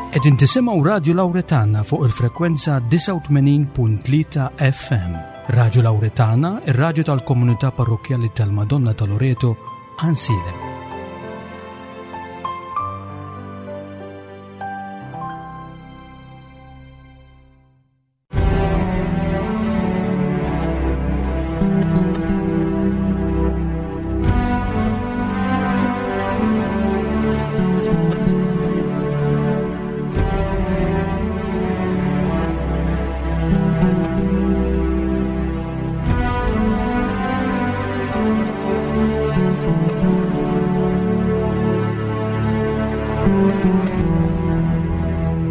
Qegħdin tisimgħu Radju Lawretana fuq il-frekwenza 89.3 FM. Radju Lawretana, ir-radju tal-komunità parrokkjali tal-Madonna ta' Loreto, Ansilem.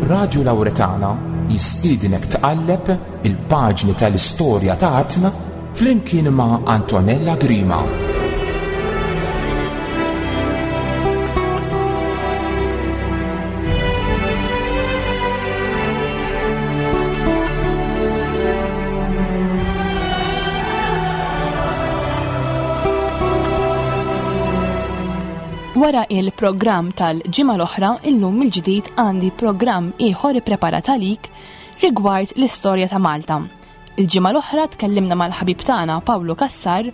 Radju Lawretana jistiednek tqalleb il-paġni tal-istorja ta' artna flimkien ma' Antonella Grima. Wara il-programm tal-ġimgħa l-oħra, illum mill-ġdid għandi programm ieħor ippreparat għalik rigward l-istorja ta' Malta. Il-ġimgħa l-oħra tkellimna mal-ħabib tagħna Pawlu Cassar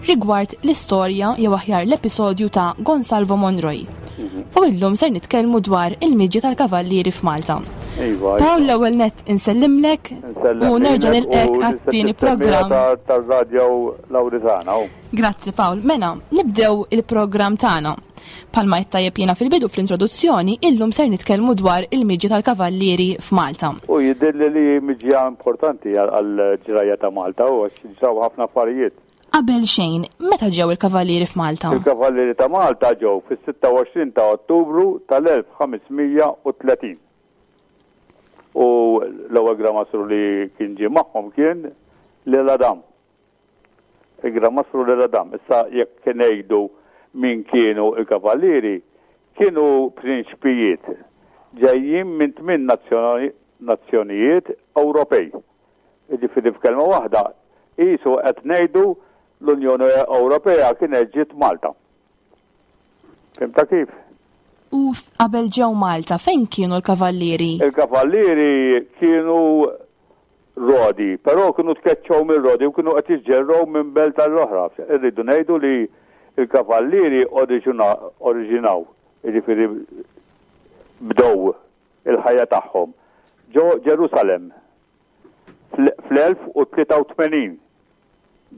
rigward l-istorja jew aħjar l-episodju ta' Gonsalvo Monroy. Mhm. U illum ser nitkellmu dwar il-miġja tal-kavallieri f'Malta. Iva, Pawl iva. l-ewwel nett insellimlek u nerġa' nilqek għat-tieni programm. Tar-radio Lawritana. Grazzi Pawl. Mela, nibdew il-programm tagħna. Palma qed tajjeb jiena fil-bidu fl-introduzzjoni, illum ser nitkellmu dwar il-miġja tal-kavallieri f'Malta. U jidhirli li miġja importanti għall-ġrajja ta' Malta u għax ġraw ħafna affarijiet. Qabel xejn, meta ġew il-kavallieri f'Malta? Il-kavallieri ta' Malta ġew fis-26 ta' Ottubru tal-1530. U l-ewwel Gran Mastru li kien ġie magħhom kien L'Isle-Adam. Il-Gran Mastru L'Isle-Adam. Issa jekk ngħidu min kienu l-kavallieri, kienu prinċpijiet ġejjin minn tmien nazzjonijiet Ewropej. Jiġifieri f'kelma waħda, qisu qed ngħidu l-Unjoni Ewropea kienet ġiet Malta. Fhimtha kif? U qabel ġew Malta, fejn kienu l-kavallieri? Il-kavallieri kienu Rodi, però kienu tkeċċew minn Rodi u kienu qed jiġġerrew minn belt għall-oħra. Irridu ngħidu li l-kavallieri oriġinaw, jiġifieri bdew il-ħajja tagħhom ġo Ġerusalemm fl-1083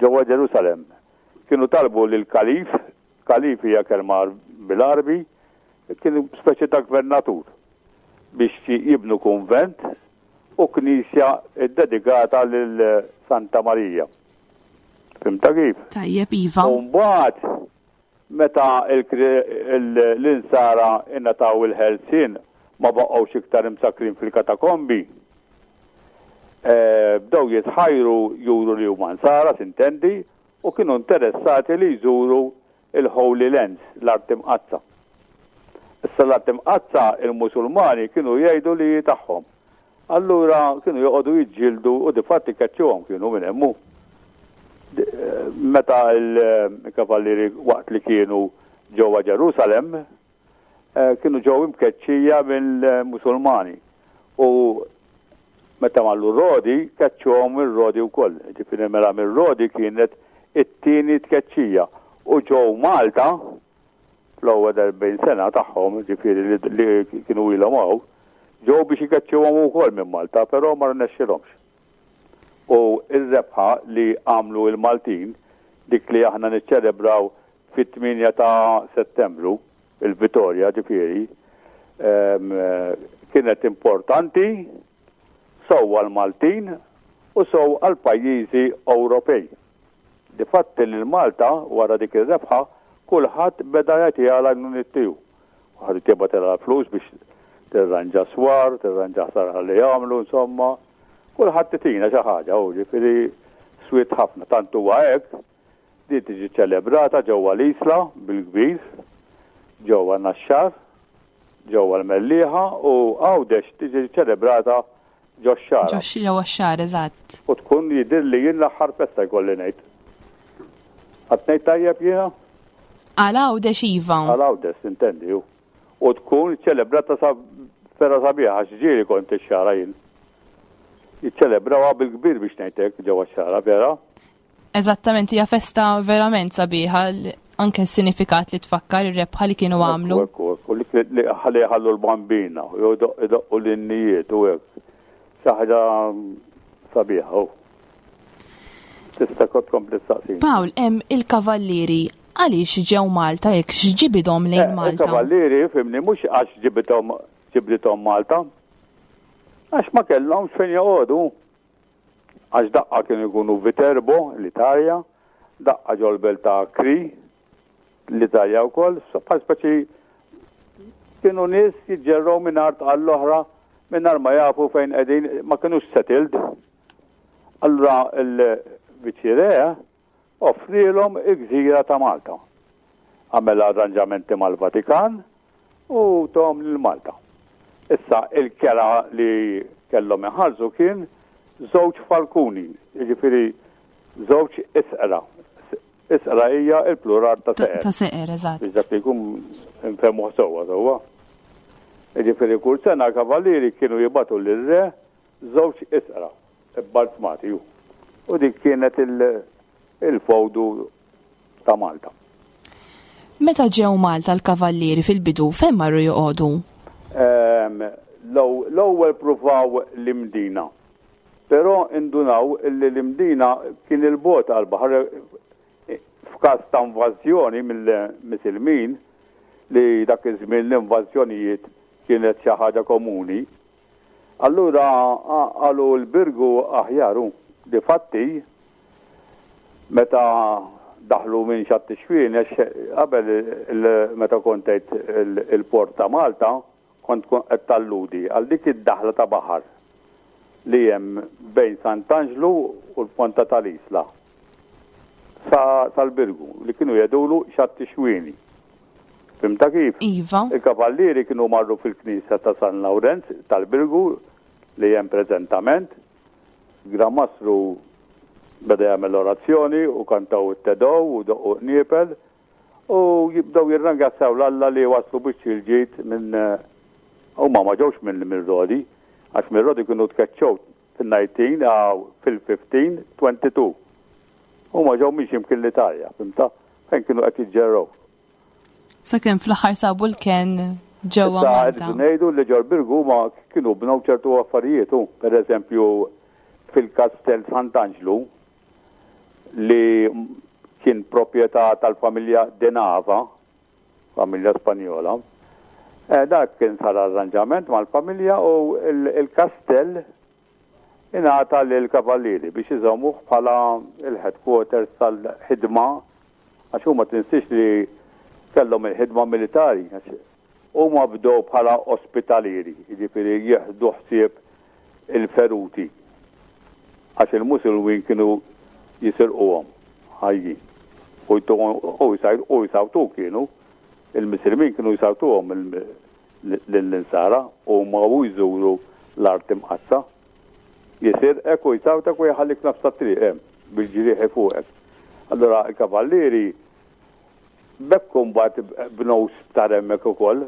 ġewwa Ġerusalemm. Kienu talbu lill-kalif, kalif hija kelma bil-Għarbi, kien speċi ta' gvernatur, biex jibnu kunvent u knisja ddedikata lil Santa Marija. Fhimtha kif? Tajjeb, iva. U mbagħad meta l-insara ingħataw il-ħelsien ma baqgħux iktar imsakkrin fil-katakombi, eh, bdew jitħajru juru li huma nsara, sintendi, u kienu interessati li jżuru il-Holy Lands, l-Art Imqaddsa. Issa l-Art Imqaddsa il-Musulmani kienu jgħidu li hi tagħhom. Allura kienu joqogħdu jiġġieldu u difatti keċċuhom kienu minn hemm hu. Meta l-kavallieri waqt li kienu ġewwa Ġerusalemm kienu ġew imkeċċija mill-Musulmani u meta marru Rodi keċċuhom mir-Rodi wkoll. Ġifieri mela mir-Rodi kienet it-tieni tkeċċija u ġew Malta fl-ewwel 40 sena tagħhom, ġifieri li kienu ilhom hawn, ġew biex ikeċċuhom ukoll minn Malta, però ma rnexxilhomx. U r-rebħa li għamlu l-Maltin, dik li aħna niċċelebraw fit-8 ta' Settembru, il-Vitorja ġifieri, kienet importanti sew għall-Maltin u sew għall-pajjiżi Ewropej. Difatti lil Malta wara dik ir-rebħa kulħadd beda jagħtiha l-għajnuniet tiegħu. Kulħadd jibgħatilha l-flus biex tirranġa swar, tirranġa ħsara li jagħmlu, insomma. Kulħadd itina xi ħaġa, u ġifieri swiet ħafna. Tant huwa hekk Din tiġi ċċelebrata ġewwa l-Isla bil-kbir, ġewwa Naxxar, ġewwa l-Mellieħa u Għawdex tiġi ċċelebrata ġox-Xagħra. Ġewwa x-Xagħra, eżatt. U tkun jidhirli jien l-aħħar festa jkolli ngħid. Qed ngħid tajjeb jiena? Għal Għawdex iva. Għal Għawdex, sintendi, hu. U tkun ċċelebrata sa. Vera sabiħa għax ġieli kont ix-Xagħra jien. Jiċċelebrawha bil-kbir biex ngħid hekk ġewwa x-Xagħra, vera? Eżattament, hija festa verament sabiħa anke s-sinifikat li tfakkar ir-rebħa li kienu għamlu. Ekku, ekku, li ħalli ħallu l-bambina, u jdoqqu l-innijiet u hekk. Xi ħaġa sabiħa. Tista' kont tkompli staqsin. Pawl, hemm il-kavallieri għaliex ġew Malta jekk x'ġibidhom lejn eh, Malta? Il-kavallieri fimni mhux għax ġibidhom ġibdithom Malta. Għax ma kellhomx fejn joqogħdu. Għax daqqa kienu jkunu Viterbo, l-Italja, daqqa ġol-belt ta' Kri, l-Italja wkoll, bħal speċi kienu nies jiġġerrew minn art għall-oħra mingħajr ma jafu fejn qegħdin, ma kinux settled. Allura l-Viċi Re offrielhom il-gżira ta' Malta. Għamel arranġamenti mal-Vatikan u tahom lil Malta. Issa il-kera li kellhom iħallsu kien żewġ falkuni, jiġifieri żewġ isqra. Isqra hija l-plural ta' seqer. Ta' seqer, eżatt. Biex dak li jkun nfehmuh sewwa sewwa. Jiġifieri kull sena l-kavallieri kienu jibagħtu lir-re żewġ isqra bbalzmati. U dik kienet il-fowdu ta' Malta. Meta ġew Malta l-Kavallieri fil-bidu fejn marru joqogħdu? L-ewwel pruvaw l-Imdina. Però indunaw li l-Imdina kien 'il bogħod għall-baħar f'każ ta' invażjoni mill-Misilmin li dak iż-żmien l-invażjonijiet kienet xi ħaġa komuni. Allura qalu l-Birgu aħjar hu. Difatti, meta daħlu minn Xatt ix-Xwien, għax qabel meta kont għidt il-port ta' Malta, kont qed talludi għal dik id-daħla ta' baħar li hemm bejn Sant'Anġlu u l-Ponta tal-Isla sa sal-Birgu li kienu jgħidulu Xatt ix-Xwieni. Fhimtha kif? Iva. Il-kavallieri kienu marru fil-knisja ta' San Lawrenz tal-Birgu li hemm preżentament. Gran Mastru beda jagħmel l-orazzjoni u kantaw it-Te Deum u doqqu qniepel u jibdew jirrangrazzjaw 'l Alla li waslu biċċi l-ġid minn huma ma ġewx minn Rodi għax minn Rodi kienu tkeċċew fil-19 fil-1522. Huma ġew minn xi mkien l-Italja, fhimtha? Fejn kienu qed jiġġerrew. Sakemm fl-aħħar sabu l-kenn ġewwa Issa Malta. rridu ngħidu li ġol Birgu huma kienu bnew ċertu affarijiet u pereżempju fil-Kastell Sant'Anġlu li kien proprjetà tal-familja De Nava, familja Spanjola, eh, dak kien sar arranġament mal-familja u il-kastell ingħata lill-Kavallieri biex iżommuh bħala l-headquarters tal-ħidma għax huma tinsiex li kellhom il-ħidma militari għax huma bdew bħala ospitalieri, jiġifieri jieħdu ħsieb il-feruti għax il-Musulmin kienu jisirquhom ħajjin u u jsawtu kienu il-Misilmin kienu jsawtuhom lill-Insara huma u jżuru l-Art Imqaddsa. Jisirqek u jsawtek u jħallik nofs tat-triq hemm bil-ġrieħi fuqek. Allura l-kavallieri b'hekk imbagħad bnew sptar hemmhekk ukoll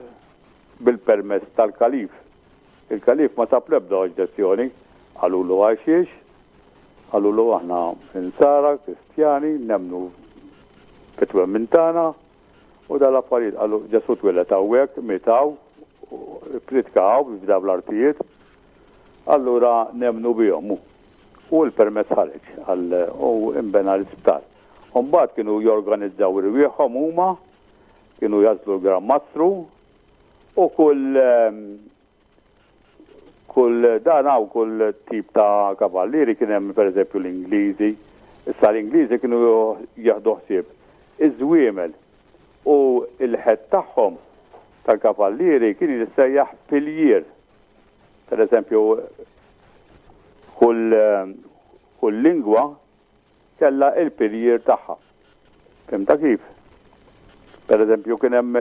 bil-permess tal-kalif. Il-kalif ma sab l-ebda oġġezzjoni. Qalulu għal xiex? Qalulu aħna Insara, Kristjani, nemmnu fit-twemmin tagħna u dal-affarijiet. Qalu Ġesù twieled hawnhekk, miet hawn, ippriedka hawn f'dawn l-artijiet. Allura nemmnu bihom. U l-permess ħareġ għal u inbena l-isptar. U mbagħad kienu jorganizzaw irwieħhom huma, kienu jagħżlu l-Gran Mastru u kull kull dan hawn kull tip ta' kavallieri kien hemm pereżempju l-Ingliżi. Issa l-Ingliżi kienu jieħdu ħsieb iż-żwiemel u l-head tagħhom tal-kavallieri kien jissejjaħ piljier. Per eżempju, kull, kull lingwa kellha il-piljier tagħha. Fimta kif? Per eżempju, kien hemm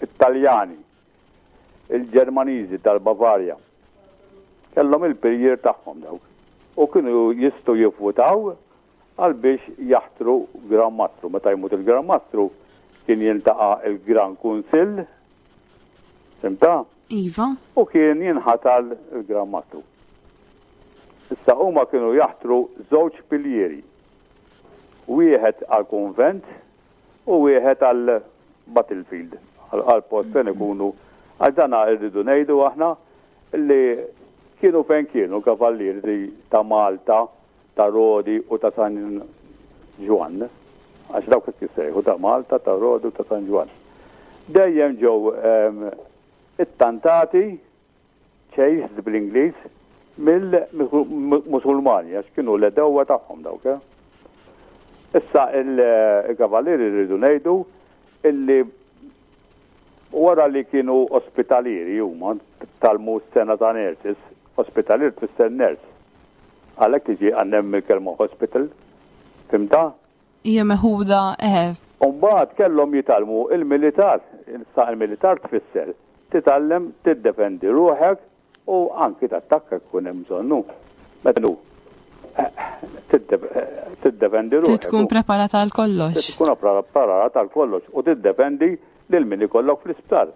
it-Taljani, il-Ġermaniżi tal-Bavarja. Kellhom il-piljier tagħhom dawk. U kienu jistgħu jivvutaw għal biex jaħtru Gran Mastru. Meta jmut il-Gran Mastru kien jiltaqa' il-Gran Kunsill, fimta? Iva. U kien jinħatar il-Gran Mastru. Issa huma kienu jaħtru żewġ piljieri. Wieħed għall-kunvent u wieħed għal battlefield, għal post fejn ikunu. Għax dan irridu ngħidu aħna li kienu fejn kienu kavallieri ta' Malta, ta' Rodi u ta' San Ġwann, għax dawk hekk jissejħu ta' Malta, ta' Rodi u ta' San Ġwann. Dejjem ġew ehm, ittantati, chased bl-Ingliż, mill-Musulmani, għax kienu l-edewwa tagħhom dawk. Eh? Issa il-kavallieri rridu ngħidu illi wara li kienu ospitalieri huma tgħallmu s-sena ta' nurses, ospitalier tfisser nurse. Għalhekk tiġi għandna il-kelma hospital, fhimtha? Hija meħuda eħe. U mbagħad kellhom jitgħallmu il-militar. Issa il-militar tfisser titgħallem tiddefendi ruħek u anki tattakka jkun hemm bżonnu. Meta nu tiddefendi ruħek. Trid tkun preparata għal kollox. Trid tkun preparata għal kollox u tiddefendi lil min ikollok fl-isptar.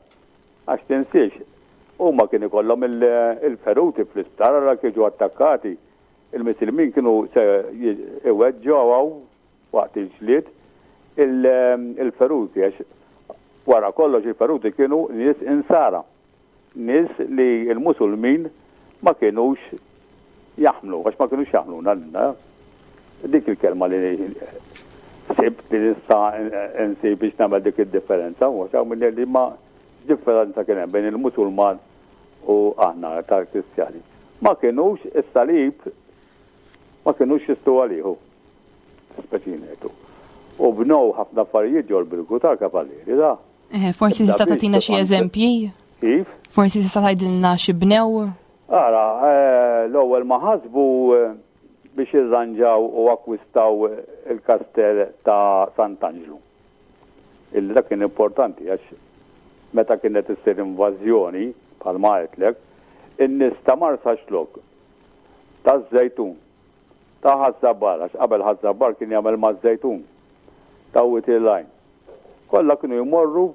Għax tinsiex, huma kien ikollhom il-feruti fl-isptar għal jiġu attakkati. Il-Misilmin kienu se iweġġgħu waqt il-ġlied il-feruti għax wara kollox il-feruti kienu nies insara. Nies li l-Musulmin ma kinux jaħmlu, għax ma kinux jaħmluna lilna. Dik il-kelma li sibt li nista' nsib biex nagħmel dik id-differenza, u għax hawn li ma differenza kien hemm bejn il-Musulman u aħna tal-Kristjani. Ma kinux is-salib ma kinux jistgħu għalihu. Speċi ngħidu. U bnow ħafna affarijiet ġol-Birgu tal-Kavallieri da. Eh, forsi tista' tagħtina xi eżempji? Kif? Forsi tista' tgħidilna xi bnew? Ara, eh, l-ewwel ma ħasbu eh, biex irranġaw u akkwistaw il-kastell ta' Sant'Anġlu. Illi dak kien importanti għax meta kienet issir invażjoni bħalma għedtlek, in-nies ta' Marsaxlokk, taż-Żejtun, ta' Ħaż-Żabbar, għax qabel Ħaż-Żabbar kien jagħmel maż-Żejtun, ta' Wied il-Għajn. Kollha kienu jmorru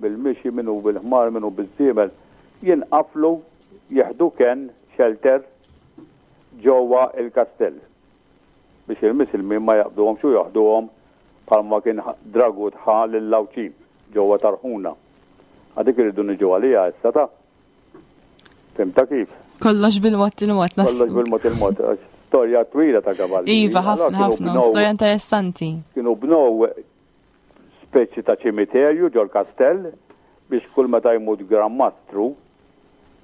bil-mixi, min hu bil-ħmar, min hu biż-żiemel, jinqaflu, jieħdu kenn, shelter, ġewwa l-kastell biex il-Misilmin ma jaqbduhomx u joħduhom bħalma kien Dragut ħa lill-Għawdxin ġewwa Tarħuna. A dik irridu niġu għaliha issa ta'. Fhimtha kif? Kollox bil-mod il-mod. Kollox bil-mod il-mod. Storja twila ta' kavalli. Iva, ħafna, ħafna, storja interessanti. Kienu bnow speċi ta' ċimiterju ġol kastell biex kull meta jmut Gran Mastru,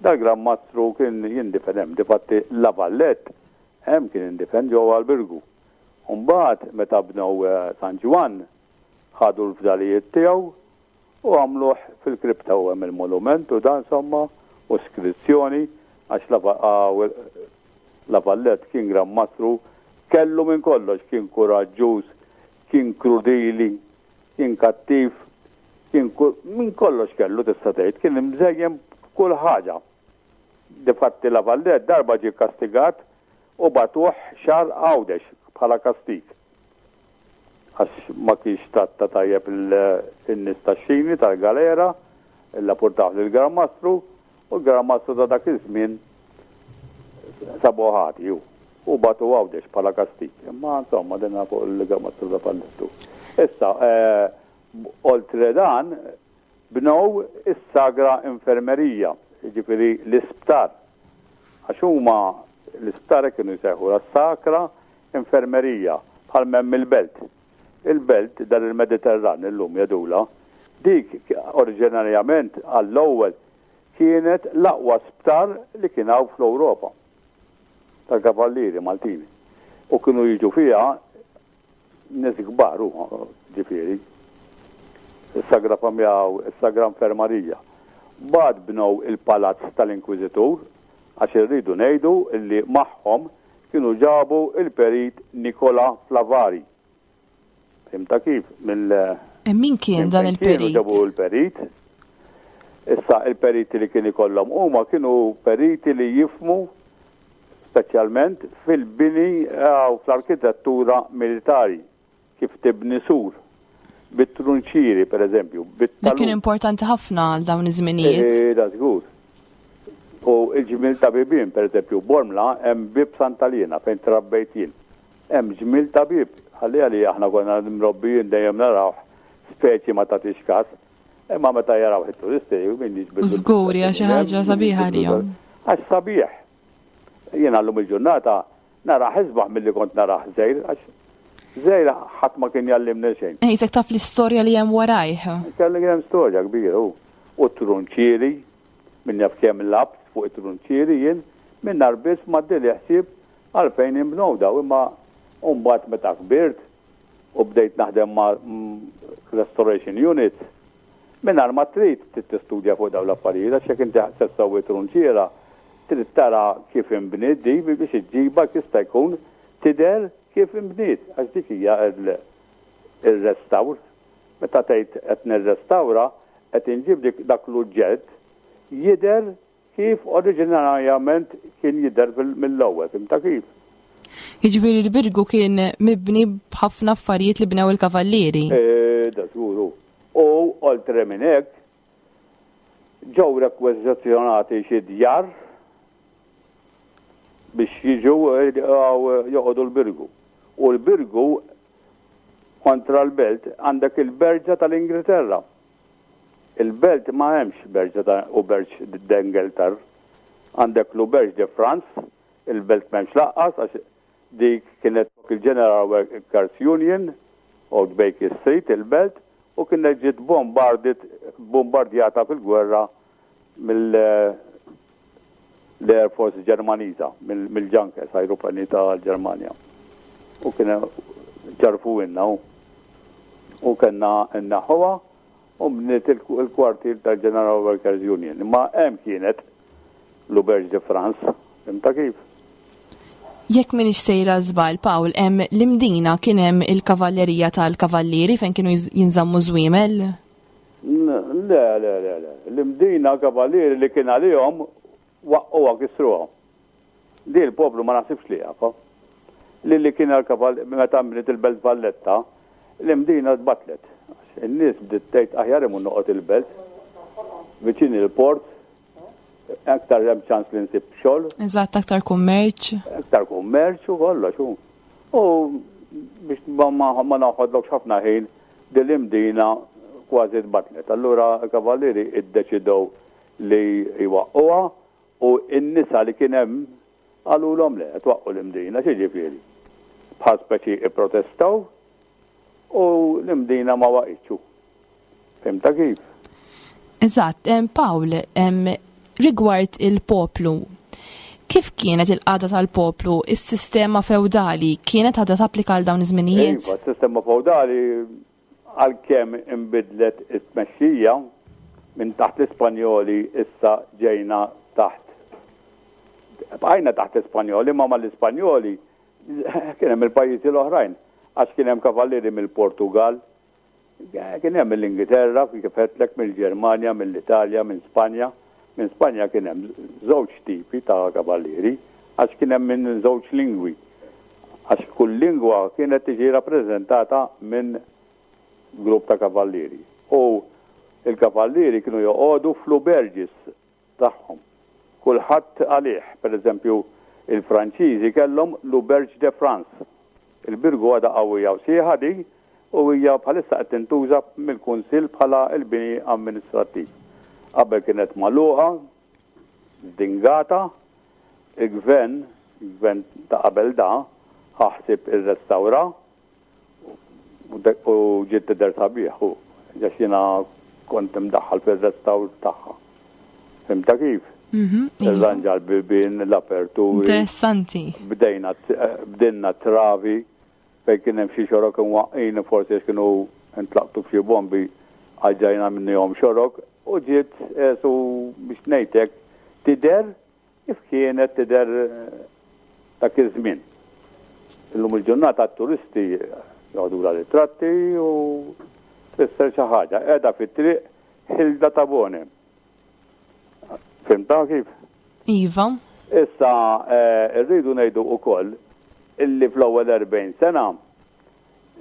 dal-Gran Mastru kien jindifen hemm. Difatti La Vallette hemm kien indifen ġewwa l-Birgu. U mbagħad meta bnew eh, San Ġwann ħadu l-fdalijiet tiegħu u għamluh fil-kripta u hemm il-monument u dan insomma u skrizzjoni għax La Vallette kien Gran Mastru kellu minn kollox, kien kuraġġuż, kien krudili, kien kattiv, kien minn kollox kellu tista' tgħid, kien imżejjen b'kull ħaġa. Difatti La Vallette darba ġie kastigat u bagħtuh xahar Għawdex bħala kastig. Għax ma kienx tratta tajjeb in-nies tax-xini tal-galera, illapurtawh lill-Gran Mastru, u l-Gran Mastru ta' dak iż-żmien sabuh ħati hu, u bagħtu Għawdex bħala kastig. Imma insomma din fuq il-Gran Mastru ta' Fallettu. Issa, oltre dan, Bnew is-Sagra Infermerija, jiġifieri l-isptar. Għax huma l-isptar hekk kienu jsejħulha, Sacra Infermerija, bħal m'hemm il-belt. Il-belt, dar il-Mediterran illum jgħidulha, dik oriġinarjament għall-ewwel kienet l-aqwa sptar li kien hawn fl-Ewropa tal-kavallieri Maltin. U kienu jiġu fiha Nies kbar hu, ġifieri. Is-Sagra Familja u s-Sagra Infermarija. Mbagħad bnew il-palazz tal-Inkwiżitur għax irridu ngħidu li magħhom kienu ġabu l-Perit Nicola Flavari. Fhimtha kif? Mill Min kien dan il-perit? Kienu ġabu l-perit. Issa il-periti li kien ikollhom huma kienu periti li jifhmu speċjalment fil-bini u fl-arkitettura militari, kif tibni sur, bit-trunċieri pereżempju, bit Li kien importanti ħafna għal dawn iż-żminijiet. Eh, da żgur. U l-ġmiel ta' bibien, pereżempju, Bormla hemm bieb Sant'Aliena fejn trabbejt jien. Hemm ġmiel ta' bieb, ħalliha li aħna konna mrobbijin dejjem narawh speċi ma tagħtix kas. Imma meta jarawh it-turisti min jiġbidlu. Żgur hija xi ħaġa sabiħa għalihom. Għax sabiħ. Jiena llum il-ġurnata narah isbaħ milli kont narah żgħir għax żgħir ħadd ma kien jgħallimni xejn. Qisek taf l-istorja li hemm warajh. Kelli kien hemm storja kbira hu. U t-trunċieri, min jaf kemm lgħabt fuq it-trunċieri jien, mingħajr biss m'għaddieli ħsieb għalfejn inbnew dawn imma mbagħad meta kbirt u bdejt naħdem ma' restoration unit, mingħajr ma trid trid tistudja fuq dawn l-affarijiet għax jekk inti se ssewwi trunċiera trid tara kif inbniet di biex iġġibha jista' jkun tidher kif inbniet għax dik hija r-restawr. Meta tgħid qed nirrestawra qed inġib dik dak l-uġġett jidher kif oriġinarjament kien jidher mill-ewwel, fhimtha kif? Jiġifieri l-Birgu kien mibni b'ħafna affarijiet li bnew il-kavallieri. Eh, da żgur hu. U oltre minn hekk, ġew rekwiżizzjonati xi djar biex jiġu eh, joqogħdu l-Birgu. U l-Birgu kontra l-belt għandek il-Berġa tal-Ingilterra. Il-belt ma hemmx berġa ta' Auberge d'Angleterre. Għandek l-Auberge de France, il-belt m'hemmx laqqas għax dik kienet flok il-General Workers Union, Old Baker Street, il-belt, u kienet ġiet bombarded, bombardjata fil-gwerra mill l-Air Force Ġermaniża, mill-Junkers, ajruplani tal-Ġermanja. U kien ġarfuhielna u u kellna nneħħuha u bniet il-kwartier tal-General Workers Union. Imma hemm kienet l-Auberge de France, fhimtha kif? Jekk m'iniex sejra żball, Pawl, hemm l-Imdina kien hemm il-kavallerija tal-kavallieri fejn kienu jinżammu żwiemel? Le, le, le, le. L-Imdina kavallieri li kien għalihom waqqgħuha kisruha. Di l-poplu ma naħsibx li jafha. Li li kien għal meta nbniet il-Belt Valletta, l-Imdina tbattlet. In-nies bdiet tgħid aħjar imur noqgħod il-belt, viċin il-port, aktar hemm ċans li nsib xogħol. Eżatt, aktar kummerċ. Aktar kummerċ u kollox. U biex ma naħodlokx ħafna ħin, din l-Imdina kważi tbattlet. Allura l-Kavallieri iddeċidew li jwaqqgħuha u n-nisa li kien hemm qalulhom le, twaqqgħu l-Imdina, x'jiġifieri? Bħal speċi ipprotestaw u l-Imdina ma waqgħitx. Fhimtha kif? Eżatt, Pawl, rigward il-poplu, kif kienet il-qagħda tal-poplu, is-sistema fewdali kienet għadha tapplika għal dawn iż-żminijiet? Iva, s-sistema fewdali għalkemm inbidlet it-tmexxija minn taħt l-Ispanjoli issa ġejna taħt bqajna taħt l-Ispanjoli ma mal-Ispanjoli kien hemm il-pajjiżi l-oħrajn għax kien hemm kavallieri mill-Portugal, Kien hemm mill-Ingilterra, kif għedtlek, mill-Ġermanja, mill-Italja, minn Spanja. Minn Spanja kien hemm żewġ tipi ta' kavallieri għax kien hemm minn żewġ lingwi. Għax kull lingwa kienet tiġi rappreżentata minn grupp ta' kavallieri. U l-kavallieri kienu joqogħdu fl-auberges tagħhom. Kulħadd għalih. Per eżempju, il-Franċiżi kellhom l-Auberge de France. Il-Birgu għadha qawwija u sħiħa di u hija bħalissa qed tintuża mill-Kunsill bħala l-bini amministrattiv. Qabel kienet magħluqa, żdingata, il-Gvern, il-Gvern ta' qabel da, ħa ħsieb irrestawra U ġiet tidher sabiħ u għax jiena kont imdaħħal fir-restawr tagħha. Fhimtha kif? Mhm, iva. Irranġa l-bibien, l-aperturi. Interessanti. Bdejna bdilna travi fejn kien hemm xi xorok imwaqqin forsi għax kienu ntlaqtu f'xi bombi għaġġajna minnihom xorok u ġiet eh, su biex ngħidlek tidher Kif kienet tidher dak iż-żmien. Illum il-ġurnata t-turisti joħdulha ritratti u tfisser xi ħaġa. Qiegħda fit-triq Hilda Tabone. Fhimtha kif? Iva. Issa rridu ngħidu wkoll illi fl-ewwel 40 sena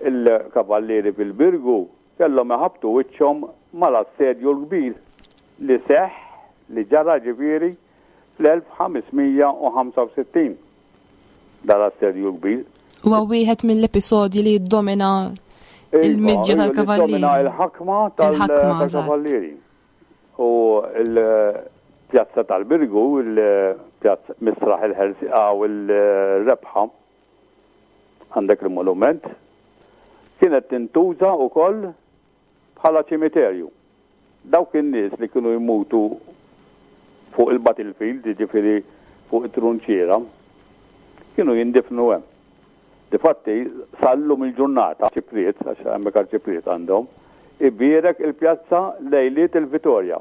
il-kavallieri fil-Birgu kellhom iħabbtu wiċċhom mal-Assedju l-Kbir li seħħ, li ġara ġifieri. Fl-1565 dar assedju kbir. Huwa wieħed mill-episodji li jiddomina Iva, il-miġja iva, li tal-kavallieri. Domina il-ħakma Il-ħakma, tal-kavallieri. U l-pjazza tal-Birgu, il-pjazza Misraħ il-Ħelsieqa u l-Rebħa, għandek il-monument, kienet tintuża wkoll bħala ċimiterju. Dawk in-nies li kienu jmutu fuq il-battlefield, jiġifieri fuq it-trunċiera, kienu jindifnu hemm. Difatti, sal-lum il-ġurnata, Ċipriet, għax hemmhekk Arċipriet għandhom, ibierek il-pjazza lejliet il-Vitorja.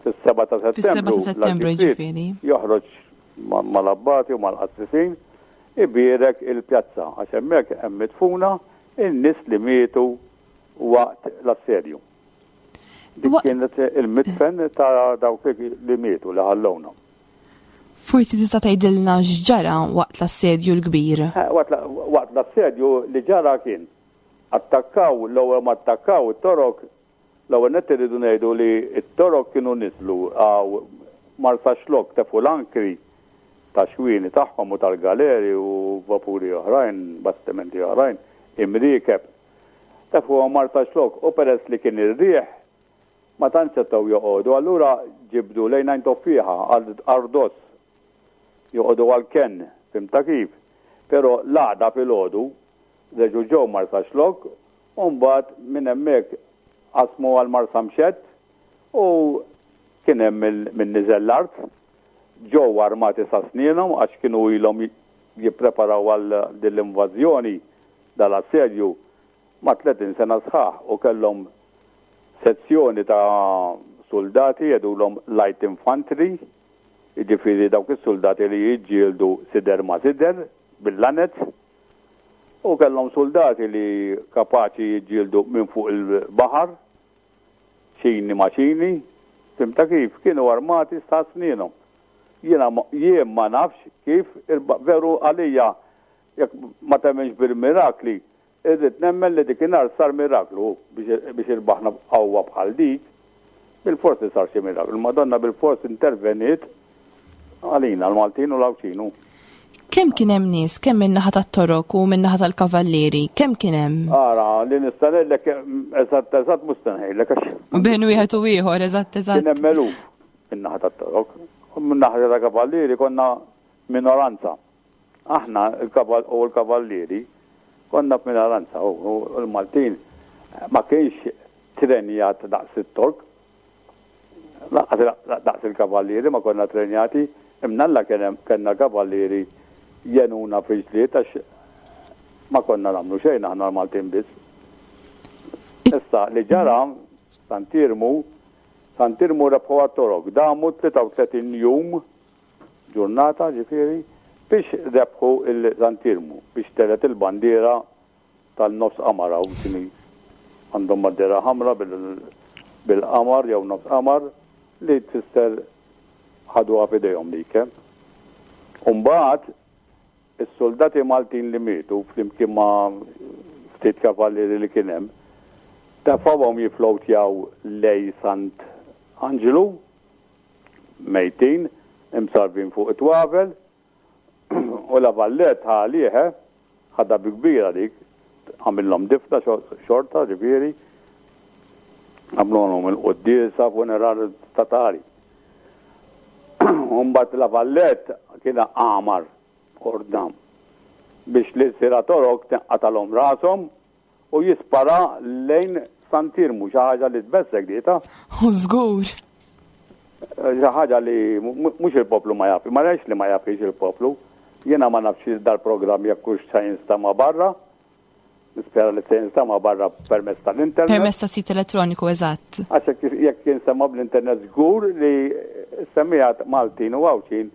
Fis-7 ta' Settembru, l-Arċipriet joħroġ mal-abbati u mal-qassisin, ibierek il-pjazza, għax hemmhekk hemm midfuna n-nies li mietu waqt l-assedju. Dik kienet il-midfen ta' dawk li mietu li ħallowna. Forsi tista' tgħidilna x'ġara waqt l-assedju l-kbir? Eh, waqt l-assedju li ġara kien attakkaw l-ewwel ma attakkaw it-Torok l-ewwel nett irridu ngħidu li t-Torok kienu niżlu għaw Marsaxlokk tefu l-ankri ta' xwieni tagħhom u tal-galeri u vapuri oħrajn, bastimenti oħrajn, imriekeb Tefgħuhom Marsaxlokk u peress li kien ir-riħ ma tantx setgħu joqogħdu allura ġibdu lejn Għajn Toffieħa, Ardos, joqogħdu għall-kenn, fhimtha kif? Però l-għada filgħodu reġgħu ġew Marsaxlokk u mbagħad minn hemmhekk qasmu għal Marsamxett u kien hemm min niżel l-art, ġew armati sa snienhom għax kienu ilhom jippreparaw għal din l-invażjoni dal-assedju ma' 30 sena sħaħ u kellhom sezzjoni ta' suldati jgħidulhom light infantry, jiġifieri dawk is-suldati li jiġġieldu sider ma' sider bil-lanez, u kellhom suldati li kapaċi jiġġieldu minn fuq il-baħar, ċini ma' ċini, fhimtha kif? Kienu armati sa snienhom. Jiena jien ma nafx kif veru għalija Jekk ma temminx bil-mirakli, irrid nemmen li dikinhar sar miraklu biex irbaħna b'qawwa bħal dik. Bilfors li sar xi miraklu. Il-Madonna bilfors interveniet għalina l-Maltin u l-Għawdxin. Kemm kien hemm nies, kemm min-naħa tat-Torok u min-naħa tal-Kavallieri, kemm kien hemm? Ara, li nista' ngħidlek eżatt eżatt mhux se ngħidlek għax. Bejn wieħed u ieħor, eżatt eżatt. Kien hemm eluf min-naħa tat-Torok. U min-naħa tal-Kavallieri konna minoranza. Aħna u l-kavallieri konna f'minoranza u l-Maltin ma kienx trenjat daqs it-Tork. Lanqas daqs il-kavallieri ma konna trenjati, imnalla kien hemm kellna kavallieri jgħinuna fil-ġlied għax ma konna nagħmlu xejn aħna l-Maltin biss. Issa li ġara Sant'Iermu, Sant'Iermu rebħuha t-Torok, damu 33 jum ġurnata, ġifieri, biex rebħu l-Sant'Iermu, biex telgħet il-bandiera tan-nofs qamar hawn x'inhi għandhom bandiera ħamra bil-qamar jew nofs qamar li tfisser ħaduha f'idejhom dik. U mbagħad is-suldati Maltin li mietu flimkien ma' ftit kavallieri li kien hemm, tefgħuhom jiflowtjaw lejn Sant Anġlu mejtin, imsarrbin fuq it-twavel, u La Valette ħa għalih, eh, ħadha bi kbira dik, għamillhom difna xorta, ġifieri, għamluhom il-quddiesa funeral statali. U mbagħad La Valette kien għamar ordna biex l-ilsira Torok tinqatalhom rashom U jispara lejn Sant'Iermu, xi ħaġa li tbeżżgħek di ta'. U żgur. Xi ħaġa li mhux il-poplu ma jaf, ma ngħidx li ma jafhiex il-poplu. Jiena ma nafx dal-programm jekk hux se jinstama' barra. Nispera li se jinstama' barra permezz tal-internet. Permezz ta' sit elettroniku, eżatt. Għax jekk jinstema' bl-internet żgur li s-semmiegħat Maltin u Għawdxin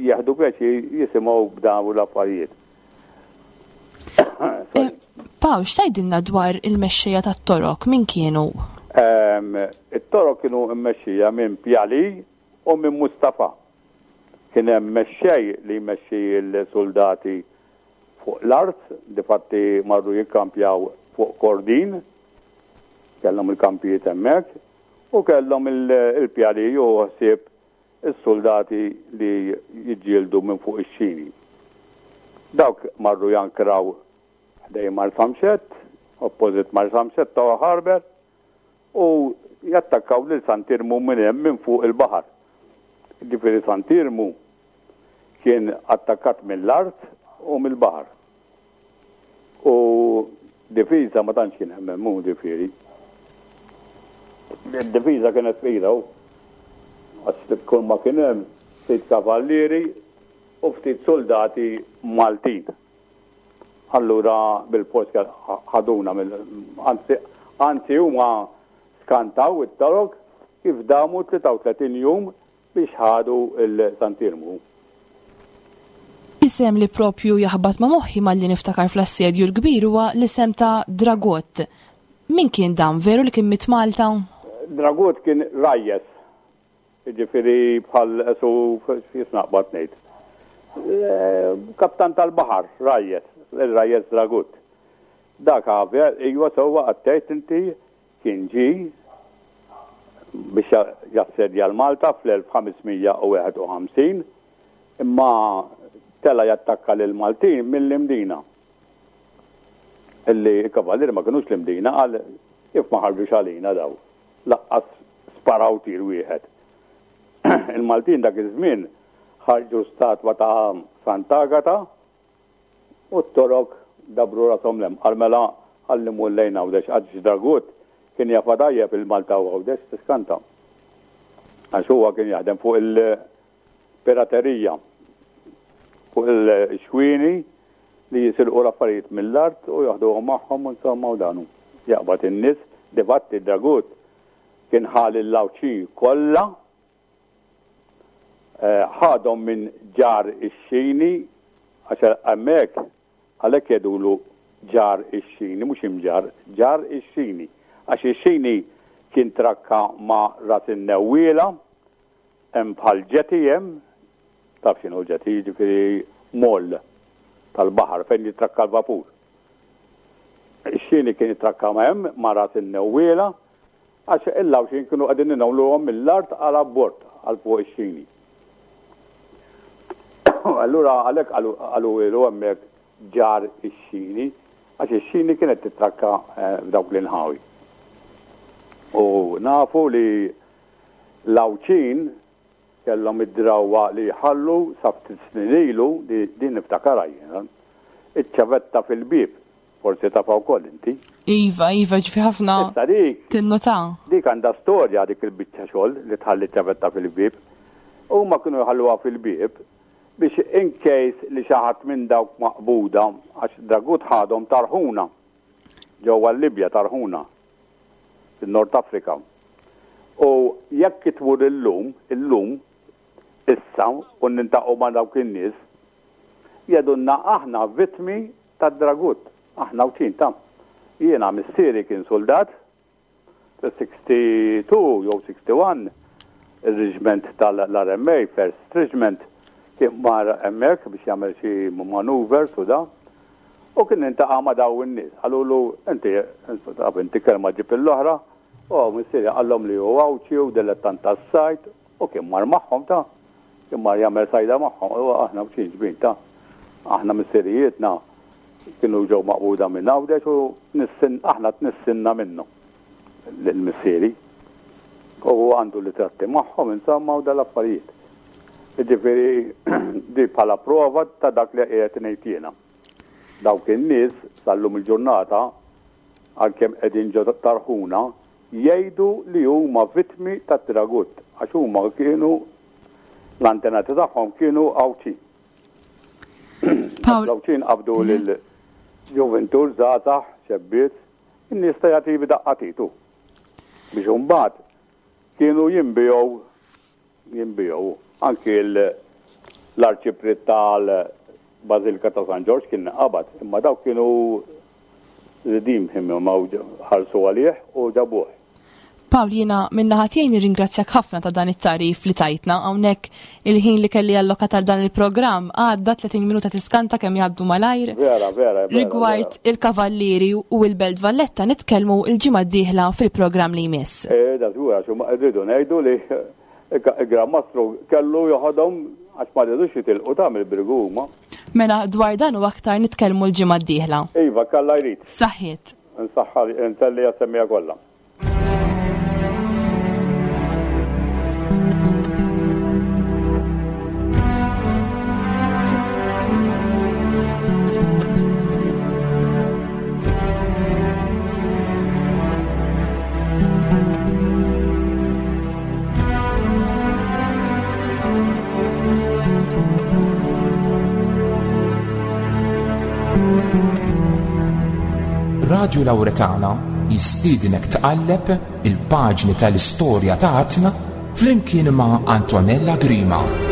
jieħdu pjaċir jisimgħu b'dawn l-affarijiet. Eh, Paw, x'tgħidilna dwar il-mexxejja tat-Torok, min kienu? Ehm, it-Torok kienu mmexxija minn Pjali u minn Mustafa. Kien hemm mexxej li jmexxi l-soldati fuq l-art, difatti marru jikkampjaw fuq Kordin, kellhom il-kampijiet hemmhekk, u kellhom il-Pjali u ħsieb. is-suldati li jiġġieldu minn fuq ix-xini. Dawk marru jankraw ħdejn Marsamxett, opposite Marsamxett ta' Harbour, u jattakkaw lil Sant'Iermu minn hemm minn fuq il-baħar. Jiġifieri Sant'Iermu kien attakkat mill-art u mill-baħar. U difiża ma tantx kien hemm hemm hu ġifieri. Id-difiża kienet fqira hu. Għax kull ma kien hemm ftit kavallieri u ftit suldati Maltin. Allura bil-fors ħaduna mill anzi anzi huma skantaw it-Torok kif damu 33 jum biex ħadu l-Sant'Iermu. Isem li propju jaħbat ma' moħħi malli niftakar fl-Assedju l-Kbir huwa l-isem ta' Dragut. Min kien dan? Veru li kien miet Malta? Dragut kien rajjes Jiġifieri bħal su kif naqbad ngħid. Kaptan tal-baħar, rajjes, ir-rajjes Dragut. Dak għavja, iwa sewwa qed tgħid inti kien ġie biex jassedja l-Malta fl-1551 imma tela' jattakka lill-Maltin mill-Imdina. Illi l-kavallieri ma kinux l-Imdina qal kif ma ħarġux għalina daw. Laqqas sparaw tir wieħed. Il-Maltin dak iż-żmien ħarġu statwa ta' Sant'Agata u t-Torok dabbru rashom 'l hemm. Qal mela ħalli mmur lejn Għawdex għax Dragut kien jafha tajjeb il-Malta u Għawdex tiskanta. Għax huwa kien jaħdem fuq il-piraterija, fuq il-xwieni li jisirqu l-affarijiet mill-art u joħduhom magħhom u insomma u dan hu. Jaqbad in-nies, difatti Dragut kien ħa lill-Għawdxin kollha, ħadhom minn Ġar ix-Xini, għax hemmhekk għalhekk jgħidulu Ġar ix-Xini, mhux Imġarr, Ġar ix-Xini, għax ix-Xini kien trakka ma' Ras in-Newwiela, hemm bħal jetty hemm, taf x'inhu jetty, jiġifieri moll tal-baħar fejn jitrakka l-vapur. Ix-xini kien jitrakka hemm ma' ras in-newwiela għax il-Għawdxin kienu qegħdin inewluhom mill-art għal abbord għal fuq ix-xini. Allura għalhekk qaluhielu hemmhekk ġar ix-xini għax ix-xini kienet titrakka eh, f'dawk l-inħawi. U nafu li l-Għawdxin Kellhom id-drawwa li jħallu sa ftit snin ilu, din niftakarha jiena, iċ-ċavetta fil-bieb, forsi tafha wkoll inti. Iva, iva, ġifi ħafna. Issa dik. Tinnota. Dik għandha storja dik il-biċċa xogħol li tħalli ċ-ċavetta fil-bieb. Huma kienu jħalluha fil-bieb biex in case li xi ħadd minn dawk maqbuda, għax Dragut ħadhom Tarħuna, ġewwa l-Libja Tarħuna. fin-Nord Afrika. U jekk tmur illum, illum, issa, u nintaqgħu ma' dawk in-nies, jgħidulna aħna vittmi tad-Dragut, aħna Għawdxin ta'. Jiena missieri kien suldat, fis-62 jew 61, ir-reġiment tal-RMA, First Regiment, kien mar hemmhekk biex jagħmel xi maneuvers u da. U kien intaqa' ma' dawn in-nies. Qalulu, Inti, taf inti kelma ġġib lill-oħra. U missieri qallhom li hu Għawdxi u dilettant tas-sajd u kien mar magħhom ta'. Kien mar jagħmel sajda magħhom. U aħna Għawdxin ġbin ta'. Aħna missirijietna kienu ġew maqbuda minn Għawdex u tnissin, aħna tnissinna minnu lil missieri. U għandu ritratti magħhom insomma u dal-affarijiet. Jiġifieri di bħala prova ta' dak li qiegħed ngħid jiena. Dawk in-nies sal-lum il-ġurnata, għalkemm qegħdin ġo Tarħuna, jgħidu li huma vittmi tat-Tiragut għax huma kienu l-antenati tagħhom kienu Għawdxin. L-Għawdxin qabdu lil ġuvintur żgħażagħ, xebbiet, in-nies ta' jagħti daqqa titu. Biex imbagħad kienu jinbiegħu Jinbiegħu. Anki l-Arċipriet tal-Bażilika ta' San Ġorġ kien qabad, imma dawk kienu redeem him imma ħarsu għalih u ġabuh. Pawl, jiena min-naħa tiegħi nirringrazzjak ħafna ta' dan it-tagħrif li tajtna. Hawnhekk il-ħin li kelli allokat għal dan il-programm għadda 30 minuta tiskanta kemm jgħaddu malajr. Vera, vera, vera. Rigward il-Kavallieri u l-Belt Valletta nitkellmu l-ġimgħa d-dieħla fil-programm li jmiss. Eh, da żgur għax rridu ngħidu li. Il-Gran Mastru kellu joħodhom għax ma ridux jitilqu ta' mill-Birgu huma. Mela dwar dan u aktar nitkellmu l-ġimgħa d-dieħla. Iva, kalla jrid. Saħħiet. Nsaħħa ntelli għas-semmiegħa kollha. Radju Lauretana jistiednek tqalleb il-paġni tal-istorja ta' Artna flimkien ma' Antonella Grima.